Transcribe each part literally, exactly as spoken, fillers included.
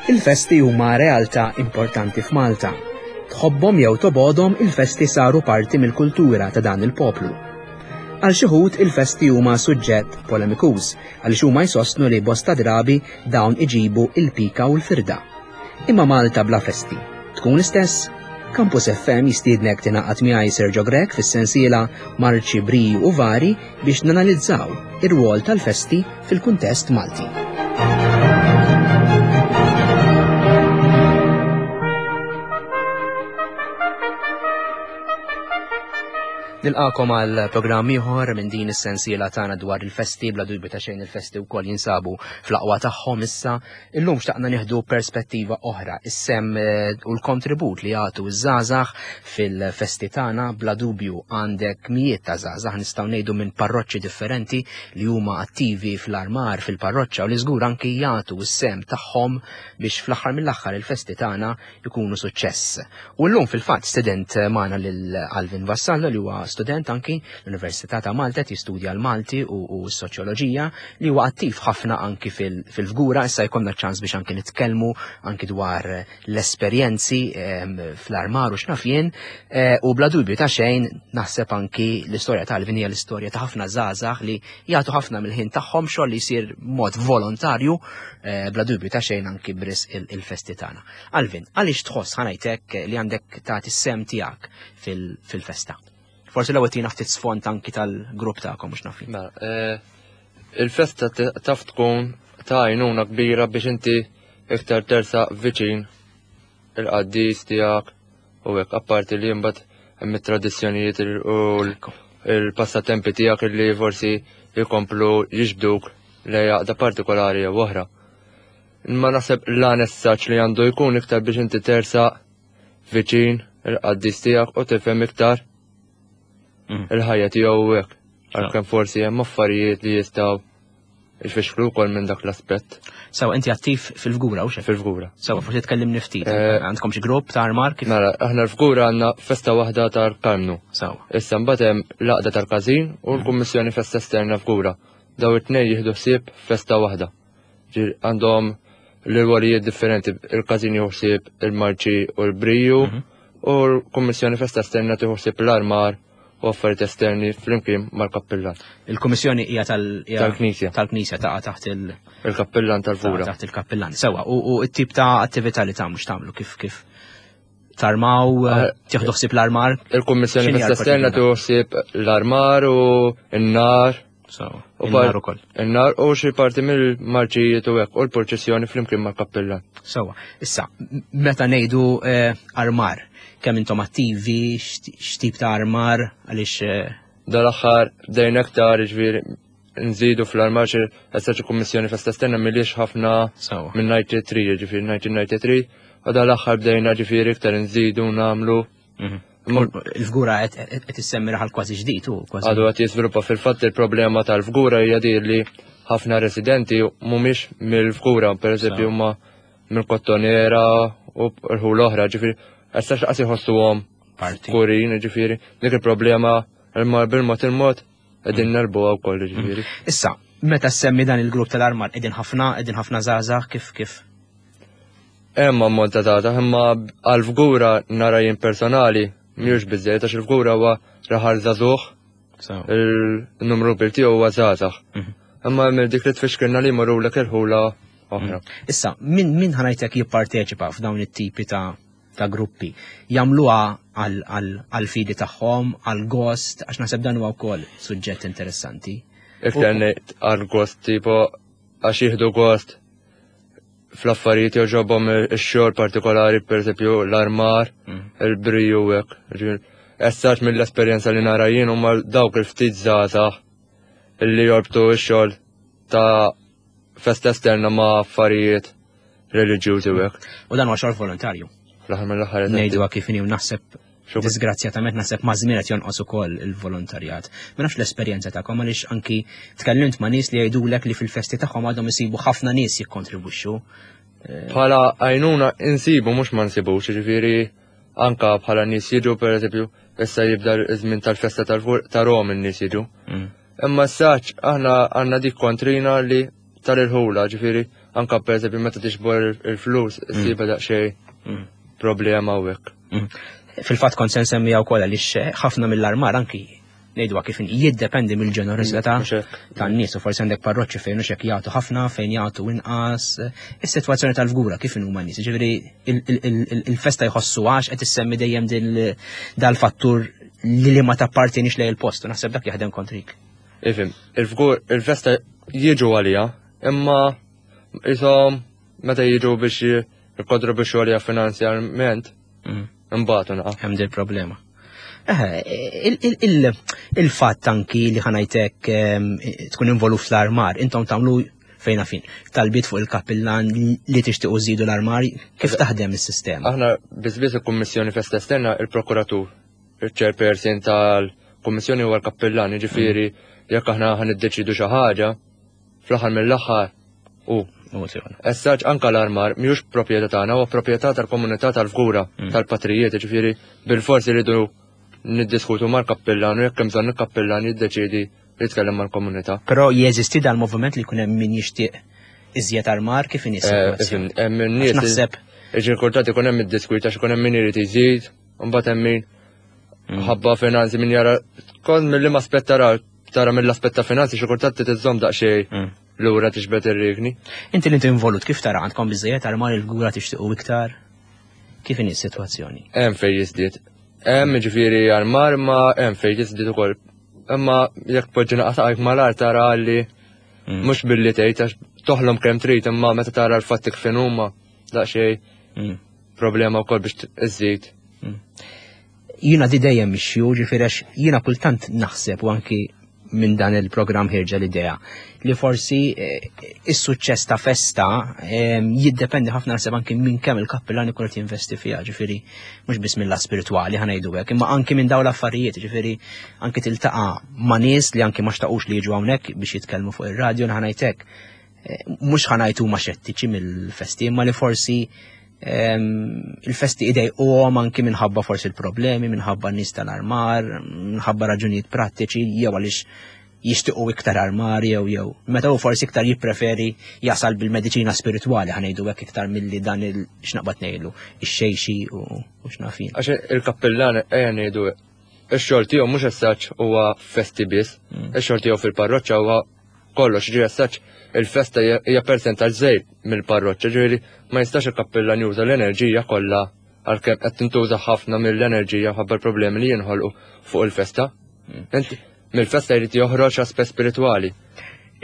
Il-festi huma realtà importanti f'Malta. Tħobbhom jew tobgħodhom, il-festi saru parti mill-kultura ta' dan il-poplu. Għal xi wħud il-festi huma suġġett polemikuż għaliex huma jsostnu li bosta drabi dawn iġibu il-pika u l-firda. Imma Malta bla festi tkun l-istess? Campus F M jistiednek tingħaqad miegħi, Sergio Grech, fis-sensiela Marċi, Briju u Vari biex nanalizzaw ir-rwol tal-festi fil-kuntest Malti. Nilqagħkom għal programm ieħor minn din is-sensiela tagħna dwar il-festi. Bla dubju ta' xejn, il-festi wkoll jinsabu fl-aqwa tagħhom issa. Illum xtaqna nieħdu perspettiva oħra, is-sehem eh, u l-kontribut li jagħtu ż-żgħażagħ fil-festi tagħna. Bla dubju għandek mijiet ta' żgħażagħ, nistgħu ngħidu, minn parroċċi differenti li huma attivi fl-armar fil-parroċċa u li żgur anki jagħtu s-sehem tagħhom biex fl-aħħar mill-aħħar il-festi tagħna jkunu suċċess. U llum fil-fatt stedint magħna lil Alvin Vassallo, li huwa student anki l-Università ta' Malta, jistudja l-Malti u, u s-soċjoloġija, li huwa attiv ħafna anki fil-Fgura. Issa jkollna ċans biex anki nitkellmu anki dwar l-esperjenzi fl-armar u x'naf jien, eh, u bla dubju ta' xejn naħseb anki l-istorja ta' Alvin hija l-istorja ta' ħafna żgħażagħ li jagħtu ħafna mill-ħin tagħhom, xogħol li jsir mod volontarju, eh, bla dubju ta' xejn anki b'risq il-festi tagħna. Alvin, għaliex tħoss, ħa ngħidlek, li għandek tagħti s-sehem tiegħek fil-festa? Forsi l-ewwel tina ftit sfond anki tal-grupp tagħkom mhux nafin. Mela, eh, il-festa taf tkun ta' għajnuna kbira biex inti iktar tersaq viċin il-qaddis tiegħek u hekk, apparti li mbagħad hemm it-tradizzjonijiet u l-passatempi tiegħek li forsi jkomplu jiġbduk lejn għaqda partikolari jew oħra. Imma naħseb l-għan li għandu jkun iktar biex inti tersaq viċin il-qaddis tiegħek u tifhem iktar mm. il-ħajja tiegħu hekk. Għalkemm forsi hemm affarijiet li jistgħu jfixklu wkoll minn dak l-aspett. Sawa, inti attiv fil-Fgura u Fil-Fgura. Sawa, forsi tkellimni ftit. Eh, Għandkom xi grupp ta' armar kif? Mela, aħna l-Fgura għandna festa waħda tal-Karmnu. Sawa. Issa mbagħad hemm l-għaqda tal-każin u l-Kummissjoni Festa Esterna Fgura. Daw it-tnejn jieħdu ħsieb festa waħda. Għandhom l-rwolijiet differenti, il-każin jieħu ħsieb il-marċi u l-briju mhm. u l-Kummissjoni Festa Esterna tieħu ħsieb l-armar u affarijiet esterni flimkien mal-kappillan. Il-kummissjoni hija tal-Knisja. Tal-Knisja, taqa' taħt il- Il-kappillan tal-Fgura. Taħt il-kappillan. Sewa, u t-tip ta' attività li tagħmlu, x'tagħmlu, kif kif tarmaw, ah, tieħdu ħsieb l-armar? Il-kummissjoni Festa Esterna tieħu ħsieb l-armar u n-nar. U n-nar ukoll. In-nar u xi parti mill-marċijiet u hekk u l-purċissjoni flimkien mal-kappillan. Sewa, issa, meta ngħidu eh, armar, kemm intom attivi, x'tip ta' armar, għaliex eh, Dal-aħħar bdejna aktar, ġifieri nżidu fl-armar xi essaċ kummissjoni Festa Esterna milix ħafna minn tnejn u disgħin, ġifieri elf disa' mija u tnejn u disgħin, u dal-aħħar bdejna ġifieri iktar nżidu nagħmlu. Mhm. Il-Fgura qed issemmi raħal kważi ġdid u kważi. Għadu qed jiżviluppa. Fil-fatt il-problema tal-Fgura hija di li ħafna residenti mhumiex mill-Fgura, pereżempju huma mill-Kottonera u rħul oħra, ġifieri issa x'qas jħossuhom Fgurin, ġifieri dik il-problema imma bil-mod il-mod qegħdin mm. negħlbuha wkoll, ġifieri. Issa, meta semmi dan il-grupp tal-armar, qegħdin ħafna, qegħdin ħafna żgħażagħ, kif kif? Hemm ammont ta' data, imma għal-Fgura nara jien personali mhux biżejjed għax il-Fgura huwa raħal żagħżugħ, il-numru kbir tiegħu huwa żgħażagħ. Mhm. Imma minn dik li tfixkilna li jmorru lek il-ħula oħra. Mhm. Issa, min min ħa ngħidlek jipparteċipa f'dawn it-tipi ta' ta' gruppi? Jagħmluha għal-fidi tagħhom, għal-gost, għax naħseb dan huwa wkoll suġġett interessanti. Iktar għal-gost, tipo għax jieħdu gost fl-affarijiet, jogħġobhom ix-xogħol partikolari, pereżempju l-armar, mm. il-briju hekk. Essaċ mill-esperjenza li nara jien huma dawk il-ftit żgħażagħ illi jorbtu x-xogħol ta' festa esterna ma' affarijiet reliġjużi u hekk. U dan huwa xogħol volontarju. Fl-aħħar mill-aħħar. Ngħidu kif inhi, naħseb disgrazzjatament naħseb ma' żmien qed jonqos ukoll il-volontarjat. Ma nafx l-esperjenza tagħkom, għaliex anki tkellimt ma' nies li jgħidulek li fil-festi tagħhom għadhom isibu ħafna nies jikkontribwixxu. Bħala għajnuna insibu, mhux ma nsibux, ġifieri anka bħala nies jiġu, pereżempju, issa jibda iż-żmien tal-festa ta' Rom, in-nies jiġu. Mm. Imma saċ aħna għandna dik kontrina li tal-irħula, ġifieri Anka per eżempju meta tiġbor il-flus, issibha daqsxejn Mm. problema u hekk. Mm. Fil-fatt kont se nsemmija wkoll għaliex ħafna mill-armar anki ngħiduha kif inhi, jiddependi mill-ġenerożità Mhux hekk. tan-nies u forsi għandek parroċċi fejn hux hekk jagħtu ħafna, fejn jagħtu inqas. Is-sitwazzjoni tal-Fgura kif inhuma n-nies? Ġifieri il- il- il- il-festa jħossu għax qed issemmi dejjem din dal-fattur li li ma tappartienix lejn il-post u naħseb dak jaħdem kontrik. Ifhem, il-Fgur, il-festa jiġu għalija, imma jisom meta jiġu biex jikkontribwixxu għalija finanzjarment, imbagħad naqa. Hemm dil problema. Eh, il- il- il- il-fatt anki li ħa ngħidlek ehm, tkun involut fl-armar, intom tagħmlu fejna fin, talbiet fuq il-kappillan li tixtiequ żidu l-armar, kif taħdem is-sistema? Aħna biss il-Kummissjoni Festa Esterna il-Prokuratur, il-chairperson tal-Kummissjoni huwa l-kappillan, jiġifieri jekk aħna ħa niddeċidu xi ħaġa, fl-aħħar mill-aħħar u U tiegħu. Essaġ anka l-armar mhijiex proprjetà tagħna, huwa proprjetà tal-komunità tal-Fgura, Mm. tal-patrijiet, ġifieri bil-forsi rridu niddiskutu mal-kappillan u jekk hemm bżonn il-kappillan jiddeċiedi jitkellem mal-komunità. Però jeżisti dal-moviment li jkun hemm min jixtieq iżjed armar kif inhi Eh, s-sitwazzjoni? ifhem, hemm Għax in-nies naħseb iġi kultant ikun hemm id-diskwit għax ikun hemm min irid iżid, u mbagħad hemm min Mm. ħabba finanzi min jara kont mill-liema aspett tara tara mill-aspett ta' finanzi xi kultant tiżżomm daqsxejn Mm. lura tiġbed ir-rigni. Inti li inti involut kif tara għandkom biżejjed armar il-Fgura tixtiequ iktar? Kif inhi s-sitwazzjoni? Hemm fejn jiżdied. Hemm ġifieri armar ma hemm fejn jiżdied ukoll. Imma jekk poġġi naqasaqajk mal-art tara li Mm. mhux billi tgħid għax toħlom kemm trid imma meta tara l-fatti kif huma daqsxejn Mm. problema wkoll biex iżżid. Jiena di dejjem mixju, ġifieri għax jiena kultant naħseb u anki minn dan il-programm ħirġa l-idea li forsi eh, is-suċċess ta' festa eh, jiddependi ħafna naħseb anki minn kemm il-kappillan ikun qed jinvesti fiha, ġifieri mhux biss mill spirituali ħa ngħidu hekk, imma anki minn dawn l-affarijiet, ġifieri anki tiltaqa' ma' nies li anki ma xtaqux li jiġu hawnhekk biex jitkellmu fuq ir-radju ħa ngħidlek. Eh, mhux ħa ngħid huma xettiċi mill-festi, imma li forsi ehm, il-festi idejquhom anki minħabba forsi il-problemi, minħabba n-nies tal-armar, minħabba raġunijiet prattiċi, jew għaliex jixtiequ iktar armar jew jew. Meta hu forsi iktar jippreferi jasal bil-mediċina spiritwali ħa ngħidu hekk iktar milli dan il x'naqbad ngħidlu, ix-xejxi u u x'nafin. Għax il-kappillan ejja ngħidu ix-xogħol tiegħu mhux essaċ huwa festi biss, Mm. ix-xogħol tiegħu fil-parroċċa huwa kollox, ġifieri essaċ il-festa hija hija percentaġġ żgħir mill-parroċċa, ġifieri ma jistax il-kappillan juża l-enerġija kollha għalkemm qed tintuża ħafna mill-enerġija ħabba l-problemi li jinħolqu fuq il-festa. Mm. Inti mill-festa jrid joħroġ aspett spiritwali.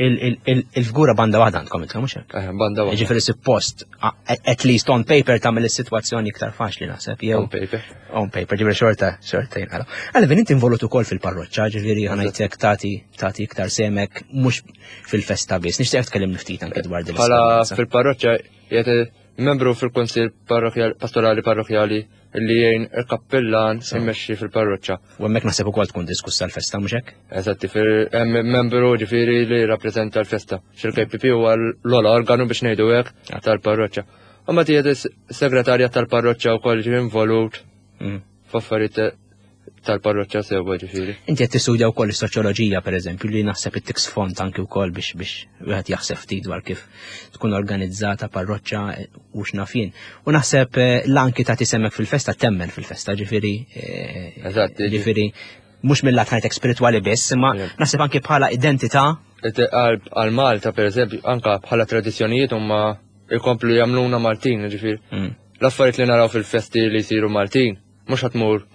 Il- il- il- Il-Fgura banda waħda għandkom intom mhux hekk? Eh, Banda waħda. Ġifieri suppost, a- at least on paper tagħmel is-sitwazzjoni iktar faċli naħseb jew On paper. on paper, ġifieri xorta, xorta jinqala. Alvin, inti involut ukoll fil-parroċċa, ġifieri ħa ngħidlek tagħti tagħti iktar semek mhux fil-festa biss. Nixtieq tkellimni ftit anke dwar din Bħala l-esperjenza. fil-parroċċa jgħet membru fil-Kunsill parrokjali Pastorali Parrokjali li jgħin il-kappillan immexxi fil-parroċċa. U hemmhekk naħseb ukoll tkun diskussa l-festa mhux hekk? Eżatti, fil- hemm membru ġifieri li rappreżenta l-festa. Xil-K P P huwa l-ogħla organu biex ngħidu hekk tal-parroċċa. U ma tiegħed segretarja tal-parroċċa wkoll ġi involut Mm. f'affarijiet tal-parroċċa sewwa ġifieri. Inti qed tistudja wkoll is-soċjoloġija pereżempju li naħseb ittik sfond anki wkoll biex biex wieħed jaħseb ftit dwar kif tkun organizzata parroċċa eh, u x'nafin. U naħseb eh, l-anki tagħti semek fil-festa temmen fil-festa, ġifieri eh, Eżatt, ġifieri mhux mill-lat ħajtek spiritwali biss, imma Yeah. naħseb anki bħala identità Għal għal Malta per eżempju, anka bħala tradizzjonijiet huma jkomplu jagħmluna Maltin, ġifieri. Mm. L-affarijiet li naraw fil-festi li jsiru Maltin, mhux ħa tmur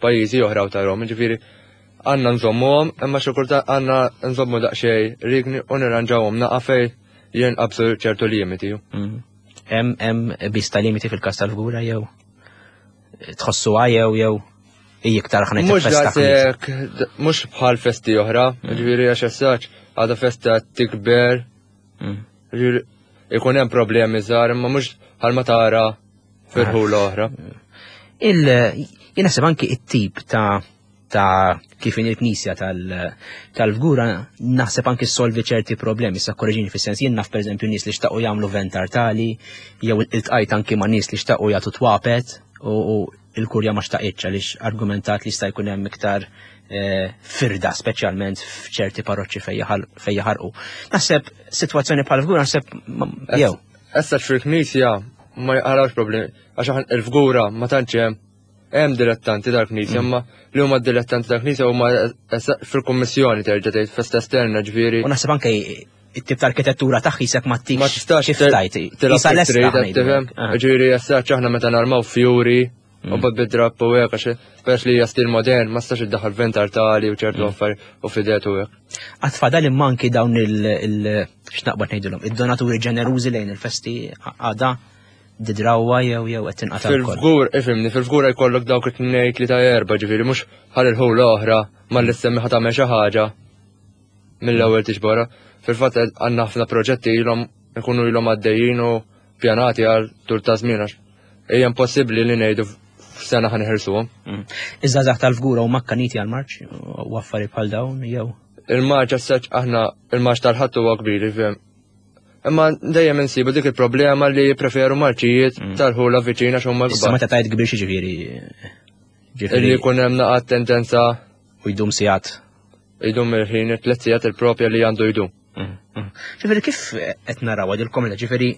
pajjiżi oħra u tarahom, ġifieri għandna nżommuhom, imma xi kultant għandna nżommu daqsxejn rigni u nirranġawhom naqa' fejn jinqabsu ċertu limiti. Mm. Hemm hemm biss ta' limiti fil-każ tal-Fgura jew tħossuha jew jew hi iktar ħa ngħid Mhux festa daqshekk, mhux bħal festi oħra, ġifieri għax essaċ għadha festa tikber, Mm. ġifieri ikun hemm problemi żgħar, imma mhux bħal ma tara f'irħula oħra. Il jien naħseb anki it-tip ta' ta' kif in il-knisja tal- tal-Fgura naħseb anki solvi ċerti problemi, sa korreġini fis-sens jien naf pereżempju nies li xtaqu jagħmlu vent artali, jew iltqajt anki ma' nies li xtaqu jagħtu twapet u, u il-kurja ma xtaqitx għaliex argumentat li jista' jkun hemm iktar eh, firda, speċjalment f'ċerti parroċċi fejn jaħarqu. Naħseb sitwazzjoni bħal Fgura naħseb jew. Issa fil-knisja ma jqarawx problemi, għax il-Fgura ma tantx hemm hemm dilettanti tal-knisja, mm. imma li huma dilettanti tal-knisja huma fil-kummissjoni terġa' tgħid festa esterna ġifieri. U naħseb anke it-tip ta' arkitettura tagħha jisek ma tikx. Ma tistax tajt. Tifhem? Ah. Ġifieri issa aħna meta narmaw fjuri u mm. bad bid-drapp u hekk għax peress li hija stil modern ma stax iddaħħal ventar tali u ċertu mm. affarijiet u fidet u hekk. Għad fadal imma anki dawn il x'naqbad ngħidulhom, id-donaturi ġenerużi lejn il-festi għada didrawa jew jew qed tinqata' Fil-fgur, ifhimni, fil-fgura jkollok dawk it-tnejn tlieta erba' ġifieri mhux bħal il-ħula oħra malli ssemmi ħa tagħmel xi ħaġa mill-ewwel tiġborha. Fil-fatt għandna ħafna proġetti ilhom ikunu ilhom għaddejjin u pjanati għal tul ta' żmien għax hija impossibbli li ngħidu f'sena ħa neħirsuhom. Mm. Iż-żgħażagħ tal-Fgura huma akkaniti għall-marċ u affarijiet bħal dawn jew? Il-marċ as aħna il-marċ tal-Ħadd huwa kbir, ifhem. Imma dejjem insibu dik il-problema li jippreferu marċijiet mm. tal-ħula viċina għax huma Issa meta tajt kbir xi ġifieri. Li jkun hemm naqgħad tendenza u jdum sigħat. Jdum il-ħin tliet sigħat il-propja li għandu jdum. Mm, mm. Ġifieri kif qed naraw il-komunità, ġifieri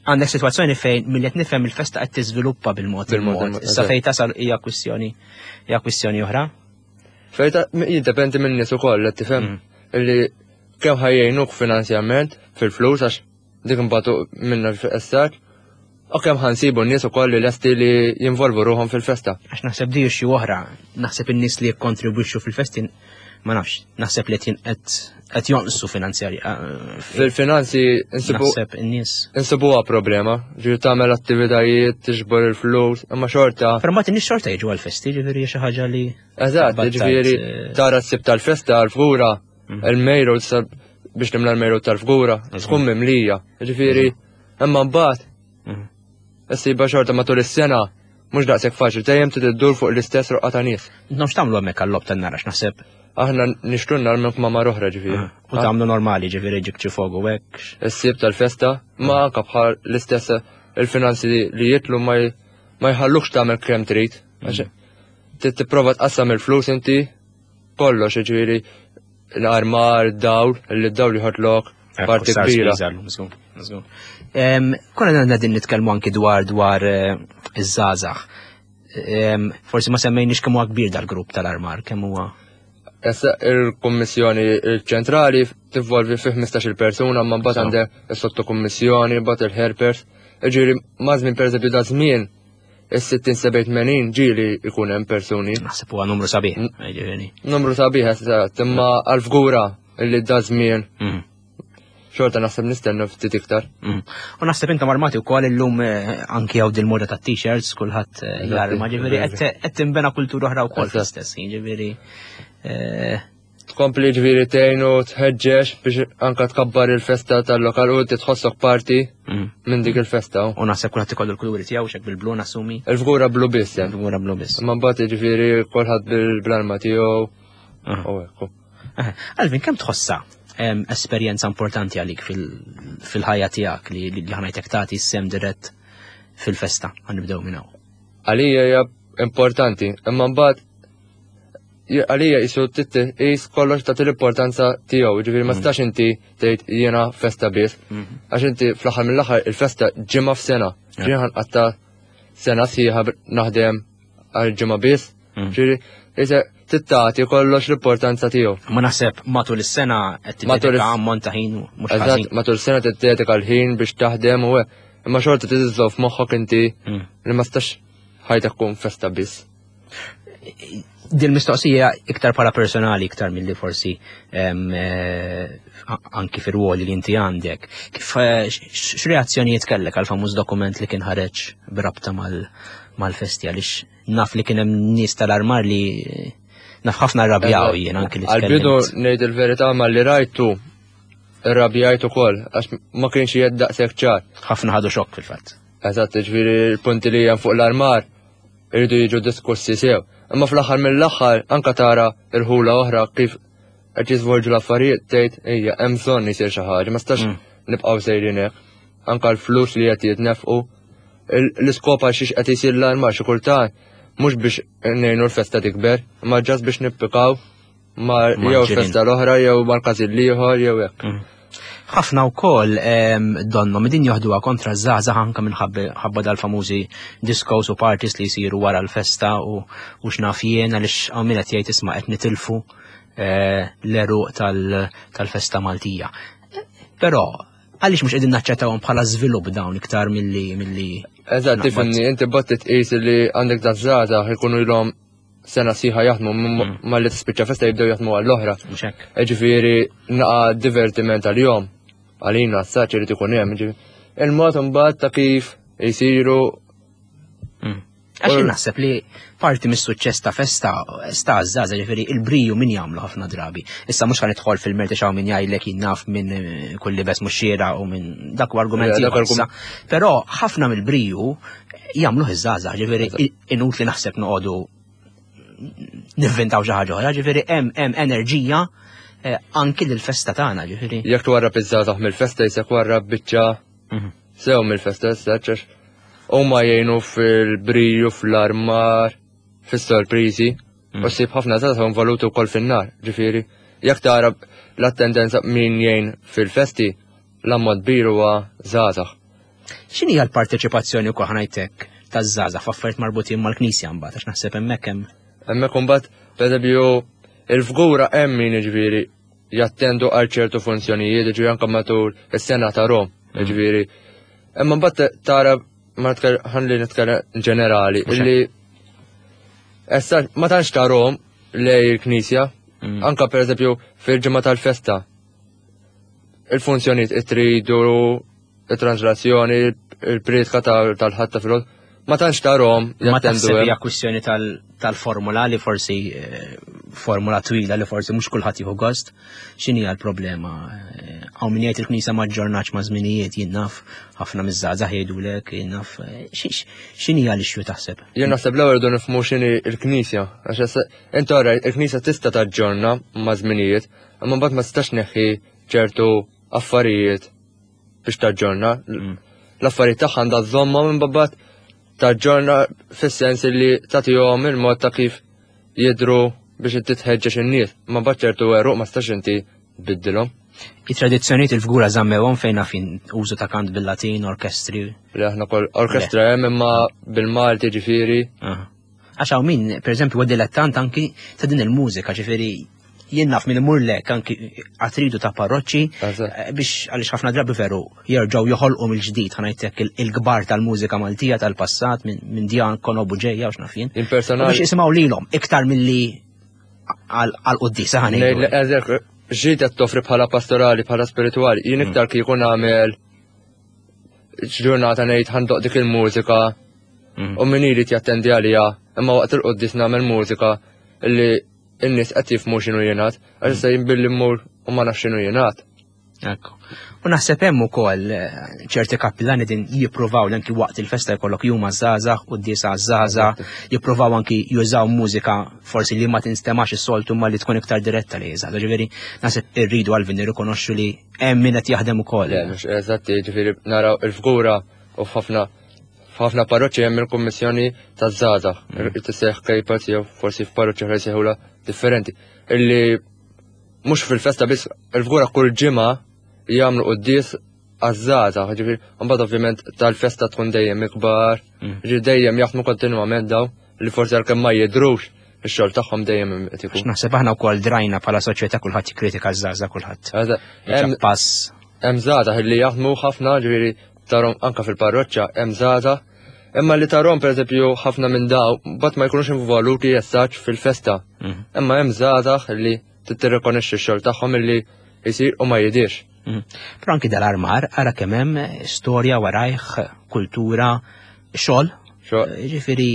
għandek sitwazzjoni fejn milli qed nifhem il-festa qed tiżviluppa bil-mod il-mod. Issa fejn tasal hija kwistjoni hija kwistjoni oħra. Fejn jiddependi minn nies ukoll qed tifhem illi kemm ħajjejnuk finanzjament fil-flus għax dik imbagħad minna fil-essaċ, u kemm ħansibu n-nies ukoll li lesti li jinvolvu ruħhom fil-festa. Għax naħseb di xi oħra, naħseb in-nies li jikkontribwixxu fil-festi ma nafx, naħseb li qed jonqsu finanzjarji. Eh, Fil-finanzi insibu naħseb in-nies. Insibuha problema, ġifieri tagħmel attivitajiet, tiġbor il-flus, imma xorta. Però mbagħad in-nies xorta jiġu għall-festi, ġifieri xi ħaġa li. Eżatt, ġifieri eh, tara s-sib tal-festa għall-fgura mhm. il-mejru biex nimla l-mejru tal-fgura, tkun mimlija, ġifieri, imma mbagħad mhm. issiba xorta matul is-sena mhux daqshekk faċli, dejjem trid iddur fuq l-istess roqgħa ta' nies. Intom x'tagħmlu hemmhekk għal-logħob tan-narax naħseb? Aħna nixtru n-nar minn kmamar oħra ġifieri. Ah, u tagħmlu normali ġifieri ġib xi fogu hekk. Is-sieb tal-festa ma anke bħal l-istess il-finanzi li jitlu ma jħallukx tagħmel kemm trid. Mm. Tipprova tqassam il-flus inti kollox ġifieri l-armar, dawl, li d-dawl jħodlok parti kbira. Konna għandna din nitkellmu anki dwar dwar eh, iż-żgħażagħ. Forsi ma semmejniex kemm huwa kbir dal-grupp tal-armar, kemm huwa. Issa il-Kummissjoni ċentrali tivvolvi fi ħmistax-il persuna, ma mbagħad għandek is-sottokummissjoni, mbagħad il-helpers. Ġifieri ma' żmien pereżempju da żmien is-sittin sebgħin tmenin ġieli jkun hemm persuni. Naħseb huwa numru sabiħ, ġifieri. Numru sabiħ eżatt, imma għall-fgura li da żmien mm. xorta naħseb nistennu ftit iktar. Mm. U naħseb intom armati wkoll illum eh, anki hawn dil-moda tat-t-shirts kulħadd eh, jarma, ġifieri qed tinbena kultura oħra wkoll fl-istess, ġifieri. Eh, Tkompli ġifieri tgħin u tħeġġeġ biex anka tkabbar il-festa tal-lokal u inti tħossok parti mm. minn dik il-festa. U naħseb kulħadd ikollu l-kuluri tiegħu xek bil-blu nassumi. Il-fgura blu biss. Eh. Il-fgura blu biss. Ma mbagħad ġifieri kulħadd bil-arma tiegħu. Ah. U hekk. Eh, Alvin, kemm tħossha esperjenza importanti għalik fil-ħajja tiegħek li li ħanajtek tagħti sem dirett fil-festa ħanibdew minn hawn. Għalija hija importanti, imma mbagħad għalija jisu titqis kollox ta' l-importanza tiegħu, ġifieri ma mm. stax inti tgħid jiena festa biss. Mm-hmm. Għax inti fl-aħħar mill-aħħar il-festa ġimgħa f'sena. Ġifieri ħanqatta sena sħiħa naħdem għal ġimgħa biss. Mm. Ġifieri tittati kollox l-importanza tiegħu. Ma naħseb matul is-sena qed tiddedika ammont ta' ħin mhux ħażin. Matul is-sena tiddedika l-ħin biex taħdem u imma xorta tiżżomm f'moħħok inti mm. li ma stax ħajtek tkun festa biss. Din mistoqsija iktar bħala personali iktar milli forsi eh, anki fir-ruoli li inti għandek. Kif eh, x'reazzjonijiet kellek għal famuż dokument li kien ħareġ b'rabta mal-festi għaliex naf li kien hemm nies tal-armar li naf ħafna rrabjaw jien anki li Għal-bidu ngħid il-verità ma li rajtu rrabjajt ukoll għax ma kienx jgħid daqshekk ċar. Ħafna ħadu xokk fil-fatt. Eżatt, ġifieri l-punti li hemm fuq l-armar irridu jiġu diskussi sew. Imma fl-aħħar mill-aħħar anka tara irħula oħra kif qed jiżvolġu l-affarijiet tgħid ejja hemm bżonn isir xi ħaġa, ma stax mm. nibqgħu sejrin hekk. Anka l-flus li qed jitnefqu l-iskop għal xiex qed isir l-armar xi kultant Mhux biex ngħinu l-festa tikber, ma just biex nippikaw ma jew festa l-oħra jew mal-każin l-ieħor jew hekk. Mm. Ħafna wkoll donnom din joħduha kontra żgħażagħ anke minħabba dal-famużi discos u parties li jsiru wara l-festa u x'naf jien għaliex hawn min qed jgħid isma' qed nitilfu eh, l-għeruq tal-festa Maltija. Però għaliex mhux qegħdin naċċettawhom bħala żvilupp dawn iktar milli milli Eżatt, tifhimni, inti bad tqis li għandek daż-żgħażagħ ikunu ilhom sena sħiħa jaħdmu mm. malli tispiċċa festa jibdew jaħdmu għall-oħra. Ġifieri naqa divertiment għal-jom. Għalina s-saċ irid ikun hemm. Il-mod imbagħad ta' kif jisiru. Mm. Għax naħseb li parti mis-suċċess ta' festa sta żgħażagħ ġifieri il-briju min jagħmlu ħafna drabi. Issa mhux ħanidħol fil-merti xaw min jgħidlek jinnaf minn eh, kull libes mhux xiera u minn dak u argumenti. Però ħafna mill-briju jagħmlu iż-żgħażagħ, ġifieri inutli naħseb noqogħdu nivvintaw xi ħaġa oħra, ġifieri hemm hemm enerġija eh, anki lill-festa tagħna, ġifieri. Jekk twarrab iż-żgħażagħ mill-festa jisek warrab biċċa mhm. sew mill-festa issa huma jgħinu fil-briju, fl-armar, fis-sorpriżi, mm. u ssib ħafna żgħażagħ involuti wkoll fin-nar, ġifieri. Jekk tara l-attendenza min jgħin fil-festi, l-ammont kbir huwa żgħażagħ. X'inhi l-parteċipazzjoni wkoll ħanajtek taż-żgħażagħ f'affarijiet marbutin mal-Knisja mbagħad għax naħseb hemmhekk hemm. Hemmhekk imbagħad pereżempju il-fgura hemm min jiġifieri jattendu għal ċertu funzjonijiet, jiġifieri anke matul is-sena ta' Rom, mm. jiġifieri. Imma mbagħad tara ma ħalli nitkellem ġenerali, illi essa ma tantx tarhom lej il-Knisja, mm. anka pereżempju fil-ġimgħa tal-festa. Il-funzjonijiet it-tridu, il-translazzjoni, il-priedka tal-ħadd ta' filgħodu, ma tantx tarhom Ma taħseb hija kwistjoni tal-formula li forsi eh, formula twila li forsi mhux kulħadd jieħu gost. X'inhi l-problema? Eh, hawn min jgħid il-Knisja ma ġġornax ma' żminijiet jien naf ħafna miż-żgħażagħ jgħidulek jien naf eh, x'inhi l-issue taħseb? Jien naħseb l-ewwel rridu nifhmu x'inhi l-Knisja għax inti ora il-Knisja tista' taġġorna ma' żminijiet, imma mbagħad ma tistax neħħi ċertu affarijiet biex taġġorna. Mm. L-affarijiet tagħha għandha żomma minn babbat taġġorna fis-sens li tagħtihom il-mod ta' kif jidru biex inti tħeġġeġ in-nies, ma mbagħad ċertu għeruq ma stax inti tbiddilhom. I-tradizzjonijiet il-fgura żammewhom fejn fin użu ta' kant bil-Latin, orkestri. Li aħna kol orkestra hemm imma bil-Malti ġifieri. Għax hawn min, pereżempju, huwa dilettant anki ta' din il-mużika, ġifieri jien naf min imur lek anki għatridu ta' parroċċi eh, biex għaliex ħafna drabi veru jerġgħu joħolqu mill-ġdid ħanajtek il-kbar tal-mużika Maltija tal-passat minn Djan Konobu ġejja u x'naf jien. Biex jisimgħu lilhom iktar milli għal-quddisa ħanejdu. Ġid qed toffri bħala pastorali, bħala spirituali, jien mm. iktar kieku nagħmel ġurnata ngħid ħandoq dik il-mużika mm. u min irid jattendi għalija, imma waqt il-quddis nagħmel mużika li n-nies qed jifhmu x'inhu jingħad, għax issa jien billi mmur u ma nafx x'inhu jingħad. Ekku. U naħseb hemm ukoll eh, ċerti kappillani din jippruvaw li anki waqt il-festa jkollok jum għaż-żgħażagħ u d-disa għaż-żgħażagħ, jippruvaw anki jużaw mużika forsi li ma tinstemax is-soltu ma li tkun iktar diretta li żgħażagħ. Ġifieri naħseb irridu għalvin nirrikonoxxu li hemm min qed jaħdem ukoll. Le, mhux eżatti, ġifieri naraw il-fgura u f'ħafna f'ħafna parroċċi hemm il-kummissjoni taż-żgħażagħ, mm. tisseħ kejpers jew forsi f'parroċċi oħra jsejħulha differenti. Illi mhux fil-festa biss il-fgura kull ġimgħa jagħmlu quddies għaż-żgħażagħ, ġifieri mbagħad ovvjament tal-festa tkun dejjem ikbar, mm. ġifieri dejjem jaħdmu kontinwament daw li forsi għalkemm ma jidhrux ix-xogħol tagħhom dejjem qed ikun. Naħseb aħna wkoll drajna bħala soċjetà kulħadd jikkritika ż-żgħażagħ kulħadd. Hemm pass. Hemm żgħażagħ li jaħdmu ħafna, ġifieri tarhom anka fil-parroċċa hemm żgħażagħ imma li tarhom pereżempju ħafna minn daw bat ma jkunux involuti jessaġ fil-festa. Mhm. Imma hemm żgħażagħ li tirrikonoxxi x-xogħol tagħhom illi jsir u ma jidirx. Mhm. Però anki dal-armar ara kemm hemm storja warajh, kultura, xogħol. Ġifieri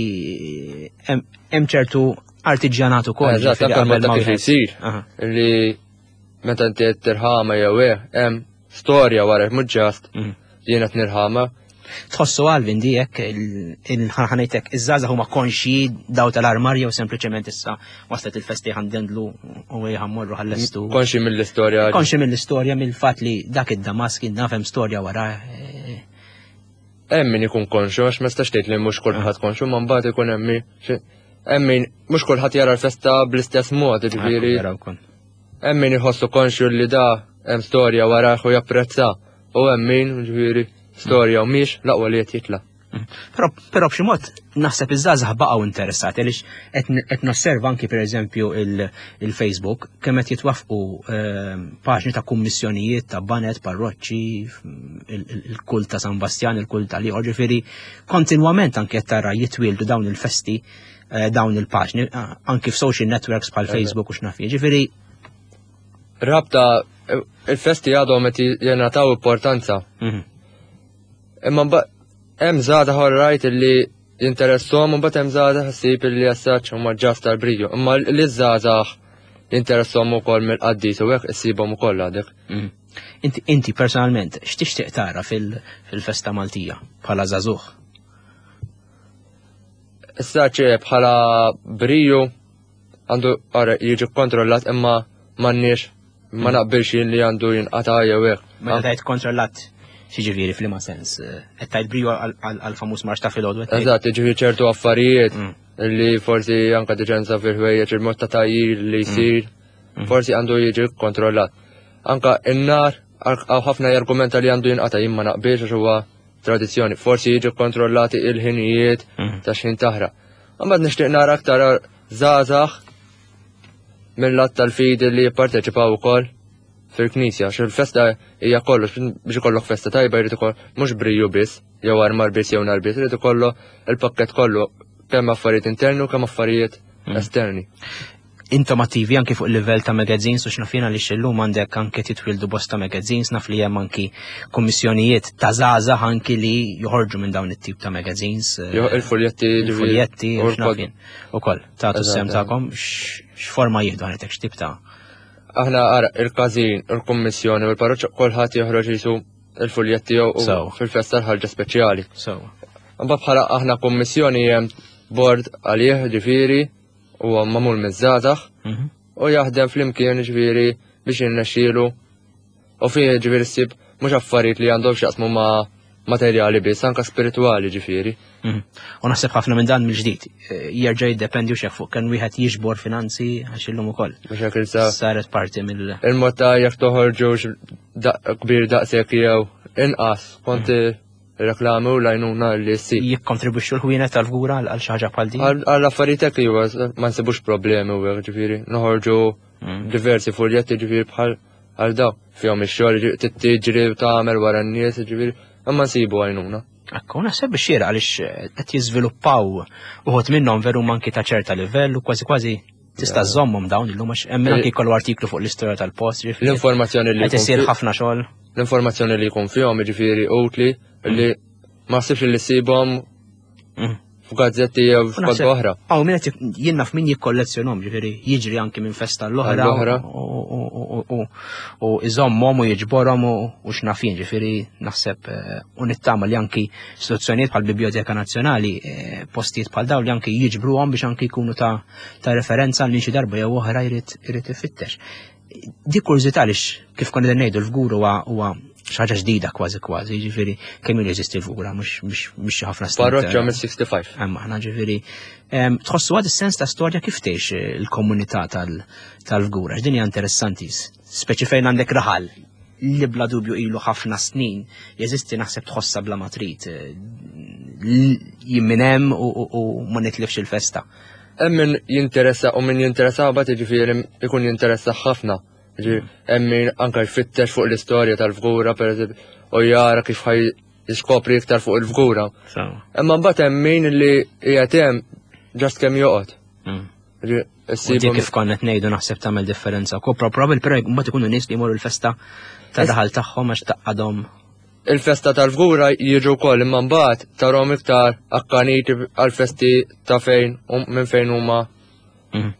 hemm ċertu artiġjanat ukoll. Eżatt, anke mod ta' kif isir. Li meta inti qed tirħama jew eh, hemm storja wara mhux ġast mhm. jien qed nirħama. Tħossu Alvin dijek il-ħanajtek iż-żgħażagħ huma konxji daw tal-armar jew sempliċement issa waslet il-festi ħandendlu u ħammorru ħallestu. Konxi mill-istorja. Konxi mill-istorja mill-fatt li dak id-Damask nafhem storja wara. Eh, Hemm min ikun konxu, għax ma stax tgħid li mhux kulħadd konxu, ma mbagħad ikun hemm min hemm min mhux kulħadd jara l-festa bl-istess mod, ġifieri. Hemm min iħossu konxju li da hemm storja warah u japprezza u hemm min, ġifieri, storja u mhix l-aqwa li qed jitla'. Però però b'xi mod naħseb iż-żgħażagħ baqgħu interessati għaliex qed nosserva anki pereżempju il-Facebook kemm qed jitwaffqu ehm, paġni ta' kummissjonijiet ta' banet, parroċċi, il-kult ta' San Bastjan, il-kult ta' liħor, ġifieri kontinwament anki qed tara jitwieldu dawn il-festi eh, dawn il-paġni anki f'social networks bħal Facebook u x'naf. Ġifieri rabta il-festi għadhom qed jingħataw importanza. Mhm. Imma hemm żgħażagħ rajt li jinteressom u mbagħad hemm żgħażagħ issib li jassaċ huma just tal-briju. Imma li żgħażagħ jinteressom ukoll mill-qaddis u hekk issibhom ukoll għadek. Mhm. Inti inti personalment x'tixtieq tara fil-festa Maltija bħala żagħżugħ? Issa bħala briju għandu ara jiġi kontrollat imma m'għandniex ma naqbilx li għandu jinqata' jew hekk. Meta tgħid kontrollat x'jiġifieri f'liema sens? Qed tgħid briju għal-famuż marx ta' filgħodu? Eżatt, jiġifieri ċertu affarijiet mm. li forsi anke diċenza fil-ħwejjeġ il-mod ta' tajjir li jsir, mm. forsi għandu jiġi kontrollat. Anka in-nar għaw ħafna jargumenta li għandu jinqata' jien ma naqbilx għax huwa tradizzjoni. Forsi jiġu kontrollati il-ħinijiet mm. ta' xħin taħraq. Imbagħad nixtieq nara aktar żgħażagħ mill-lat tal-fidi li jipparteċipaw ukoll fil-knisja, għax il-festa hija kollox, biex ikollok festa tajba jrid ukoll mhux briju biss, jew armar biss jew nar biss, irid ikollu il-pakket kollu kemm affarijiet interni u kemm affarijiet mm. esterni. Intom attivi anki fuq il-livell ta' magazines u x'naf jien li illum għandek anke titwildu bosta magazines, naf li hemm anki kummissjonijiet ta' żgħażagħ anki li joħorġu minn dawn it-tip ta' magazines. Eh, il-fuljetti. Il-fuljetti u x'naf jien. Ukoll, tagħtu s-sehem tagħkom x'forma jieħdu għandek x'tip ta' Aħna ara il-każin, il-kummissjoni u l-parroċċa kulħadd joħroġ jisu il-fuljetti jew fil-festa l-ħarġa speċjali. Mbagħad bħala aħna kummissjoni hemm board għalih ġifieri u magħmul miż-żgħażagħ mhm. u jaħdem flimkien ġifieri biex jirnexxielu u fih ġifieri ssib mhux affarijiet li għandhom x'jaqsmu ma' materjali biss, anka spirituali ġifieri. Mhm. U naħseb ħafna minn dan mill-ġdid eh, jerġa' jiddependi u fuq kemm wieħed jiġbor finanzi għax illum ukoll. Mhux hekk issa saret parti mill Il-mod ta' jekk toħorġu kbir daqshekk jew inqas kont mhm. reklami u lajnuna li ssib. Jikkontribwixxu l-ħwienet tal-fgura għal xi ħaġa bħal din? Għal affarijiet hekk iva ma nsibux problemi u hekk ġifieri noħorġu mm. diversi fuljetti ġifieri bħal għal daw fihom ix-xogħol tiġri u tagħmel wara n-nies ġifieri imma nsibu għajnuna. Ekku, naħseb biex xieraq għaliex eh, qed jiżviluppaw uħud minnhom veru manki ta' ċerta livell u kważi kważi tista' żommhom dawn illum għax hemm anki jkollu artiklu fuq l-istorja tal-post. L-informazzjoni li qed isir ħafna xogħol. L-informazzjoni li jkun fihom jiġifieri utli li ma ssibx li ssibhom mm. f'gazzetti jew f'kotba oħra. Aw min qed jien naf min jikkollezzjonhom, ġifieri jiġri anki minn festa l-oħra u iżommhom u jiġborhom u x'naf jien, ġifieri naħseb eh, u nittama li anki istituzzjonijiet bħal Biblioteka Nazzjonali, eh, postijiet bħal dawn li anki jiġbruhom biex anki jkunu ta' ta' referenza li xi darba jew oħra jrid irid ifittex. Di kurżità għaliex kif konna ngħidu l-fgur huwa huwa xi ħaġa ġdida kważi kważi, jiġifieri kemm ilu jeżisti l-fgura mhux mhux ħafna snin. Parroċċa mis-sixty-five. Hemm aħna ġifieri tħossu għad is-sens ta' storja kif tgħix il-komunità tal-fgura, x'din hija interessanti, speċi fejn għandek raħal li bla dubju ilu ħafna snin jeżisti naħseb tħossha bla ma trid jien minn hemm u ma nitlifx il-festa. Hemm min jinteressa u min jinteressa bat jiġifieri ikun jinteressa ħafna. Hemm min anke jfittex fuq l-istorja tal-fgura pereżempju u jara kif ħaj jiskopri iktar fuq il-fgura. Imma mbagħad hemm min li qiegħed hemm ġast kemm joqgħod. Mm. Dik kif konna qed ngħidu naħseb tagħmel differenza. Ko probabbli però mbagħad ikunu nies li jmorru l-festa ta' daħal tagħhom għax taqadhom. Il-festa tal-fgura jiġu wkoll imma mbagħad tarhom iktar akkaniti għal-festi ta' fejn minn fejn huma. Mm.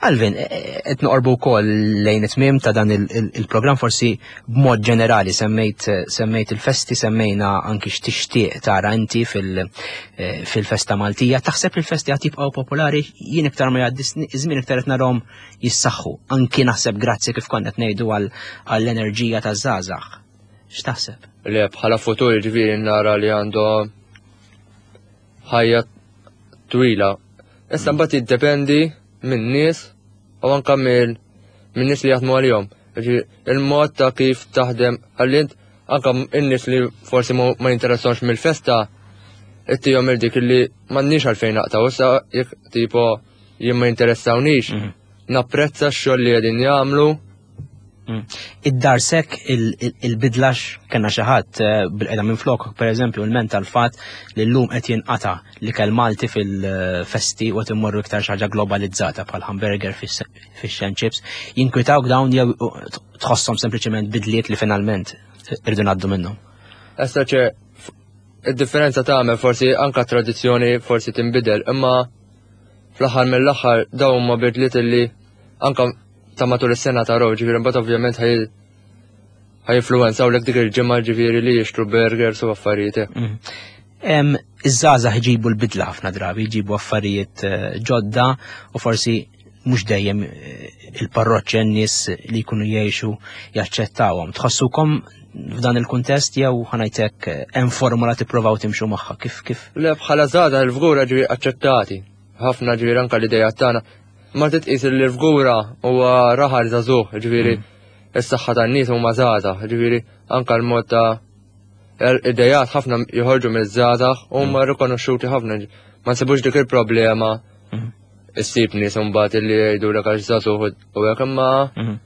Alvin, e, e, qed noqorbu wkoll lejn it-tmiem ta' dan il-programm forsi b'mod ġenerali semmejt semmejt il-festi, semmejna anki x'tixtieq tara inti e, fil-festa Maltija. Taħseb li l-festi għad jibqgħu popolari? Jien iktar ma jgħaddi żmien iktar qed narhom jissaħħu. Anki naħseb grazzi kif konna qed ngħidu għall-enerġija taż-żgħażagħ. X'taħseb? Le, bħala futur ġifieri nara li għandhom ħajja twila. Issa mm. mbagħad jiddependi minn nies u anke minn nies li jaħdmu għalihom. Il-mod ta' kif taħdem għalli anke in-nies li forsi ma jinteressawx mill-festa ittihom il-dik li m'għandniex għalfejn naqtaw, issa jekk tipo jien ma jinteressawniex, mhm. napprezza x-xogħol li qegħdin jagħmlu. Mm. Id-darsek il-bidlax kena xi ħadd eh, bil-qeda minn flok, pereżempju, il-ment tal-fatt li llum qed jinqata li kell Malti fil-festi u qed immorru iktar xi ħaġa globalizzata bħal hamburger, fish and chips, jinkwitawk dawn jew tħosshom sempliċement bidliet li finalment irdu ngħaddu minnhom? Issa ċe id-differenza tagħmel forsi anka tradizzjoni forsi tinbidel, imma fl-aħħar mill-aħħar dawn huma bidliet illi anka ta' matul is-sena taraw, ġifieri mbagħad ovvjament ħaj ħaj lek dik il-ġimgħa ġifieri li jixtru burgers u affarijiet. Mm. Iż-żgħażagħ jġibu l-bidla ħafna drabi, jġibu affarijiet eh, ġodda u forsi mhux dejjem eh, il-parroċċi n-nies li jkunu jgħixu jaċċettawhom. Tħossukom f'dan il-kuntest jew ħanajtek eh, hemm formula tippruvaw timxu magħha kif kif? Le, bħala żgħażagħ il-Fgura ġifieri aċċettati. Ħafna ġifieri anke l-idea tagħna. Ma titqis li l-Fgura huwa raħal żagħżugħ, ġifieri mm. is-saħħa tan-nies huma żgħażagħ, ġifieri anke l-mod ta' idejat ħafna joħorġu miż-żgħażagħ u huma mm. rikonoxxuti ħafna. Ma nsibux dik il-problema mm. issib nies imbagħad li jgħidu lek għax żagħżugħ u hekk, imma mm.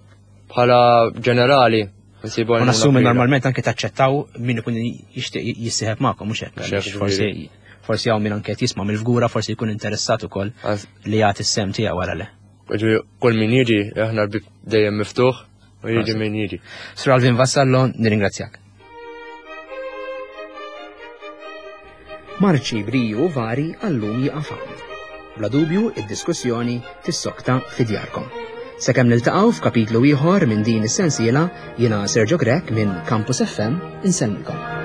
bħala ġenerali nsibu. U nassumi normalment anke taċċettaw min ikun jixtieq jissieħeb magħkom, mhux hekk? Forsi forsi hawn min anke qed jisma' mill-Fgura forsi jkun interessat ukoll li jagħti s-sem tiegħu wara le. Kull min jiġi, aħna l-bib dejjem miftuħ u jiġi min jiġi. Sur Alvin Vassallo, nirringrazzjak. Marċi briju vari għallum jieqaf hawn. Bla dubju, id-diskussjoni tissokta fi djarkom. Sakemm niltaqgħu f'kapitlu ieħor minn din is-sensiela, jiena Sergio Grech minn Campus F M insellmilkom.